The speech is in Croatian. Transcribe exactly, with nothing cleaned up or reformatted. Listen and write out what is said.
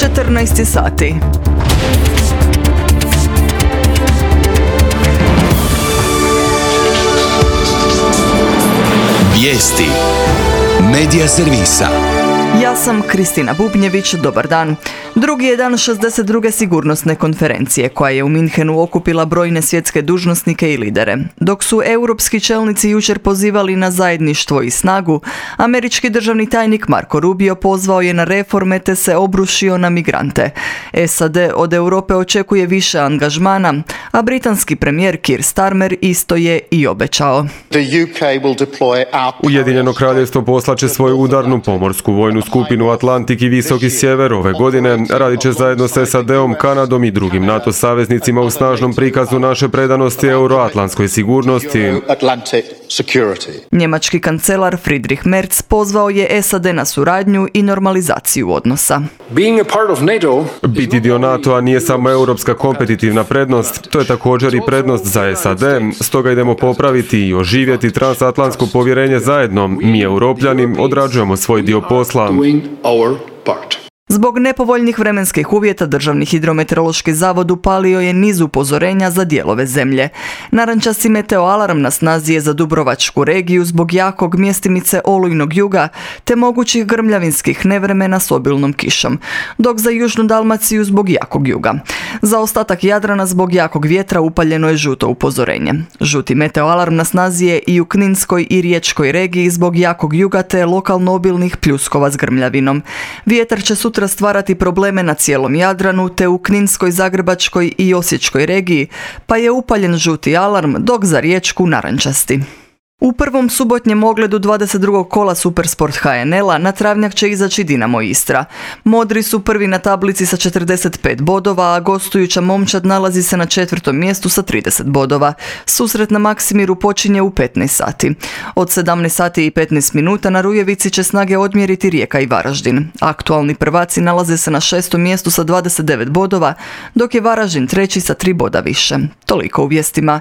četrnaest sati. Vijesti Medija servisa. Ja sam Kristina Bubnjević, dobar dan. Drugi je dan šezdeset druge sigurnosne konferencije koja je u Minhenu okupila brojne svjetske dužnosnike i lidere. Dok su europski čelnici jučer pozivali na zajedništvo i snagu, američki državni tajnik Marco Rubio pozvao je na reforme te se obrušio na migrante. S A D od Europe očekuje više angažmana, a britanski premijer Keir Starmer isto je i obećao. Ujedinjeno kraljevstvo poslaće svoju udarnu pomorsku vojnu skupinu Atlantik i Visoki sjever ove godine. Radit će zajedno s S A D-om, Kanadom i drugim NATO saveznicima u snažnom prikazu naše predanosti euroatlantskoj sigurnosti. Njemački kancelar Friedrich Merz pozvao je S A D na suradnju i normalizaciju odnosa. Biti dio NATO-a nije samo europska kompetitivna prednost, to je također i prednost za S A D, stoga idemo popraviti i oživjeti transatlantsko povjerenje zajedno. Mi, Europljani, odrađujemo svoj dio posla. Zbog nepovoljnih vremenskih uvjeta Državni hidrometeorološki zavod upalio je niz upozorenja za dijelove zemlje. Narančasti meteoalarm na snazi je za Dubrovačku regiju zbog jakog mjestimice olujnog juga te mogućih grmljavinskih nevremena s obilnom kišom, dok za Južnu Dalmaciju zbog jakog juga. Za ostatak Jadrana zbog jakog vjetra upaljeno je žuto upozorenje. Žuti meteoalarm na snazi je i u Kninskoj i Riječkoj regiji zbog jakog juga te lokalno obilnih pljuskova s grmljavinom. Vjetar će sutra stvarati probleme na cijelom Jadranu te u Kninskoj, Zagrebačkoj i Osječkoj regiji, pa je upaljen žuti alarm, dok za Riječku narančasti. U prvom subotnjem ogledu dvadeset drugog kola Supersport H N L-a na travnjak će izaći Dinamo Istra. Modri su prvi na tablici sa četrdeset pet bodova, a gostujuća momčad nalazi se na četvrtom mjestu sa trideset bodova. Susret na Maksimiru počinje u petnaest sati. Od sedamnaest sati i petnaest minuta na Rujevici će snage odmjeriti Rijeka i Varaždin. Aktualni prvaci nalaze se na šestom mjestu sa dvadeset devet bodova, dok je Varaždin treći sa tri boda više. Toliko u vijestima.